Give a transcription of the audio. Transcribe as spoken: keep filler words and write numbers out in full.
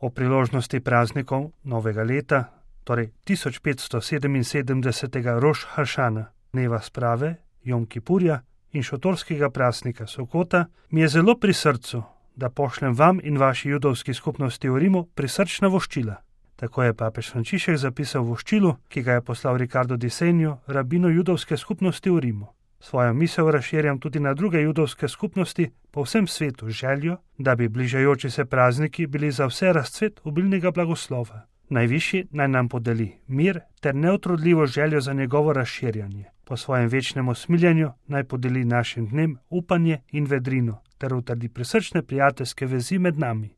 O priložnosti praznikov novega leta, torej tisoč petsto sedeminsedemdesetega Roš Hašana, dneva sprave, Jom Kipurja in šotorskega praznika Sokota, mi je zelo pri srcu, da pošljem vam in vaši judovski skupnosti v Rimu prisrčna voščila. Tako je papež Frančišek zapisal v voščilu, ki ga je poslal Ricardo di Segno, rabinu judovske skupnosti v Rimu. Svojo misel razširjam tudi na druge judovske skupnosti po vsem svetu z željo, da bi bližajoči se prazniki bili za vse razcvet obilnega blagoslova. Najvišji naj nam podeli mir ter neotrudljivo željo za njegovo razširjanje. Po svojem večnem usmiljenju naj podeli našim dnem upanje in vedrino ter utrdi prisrčne prijateljske vezi med nami.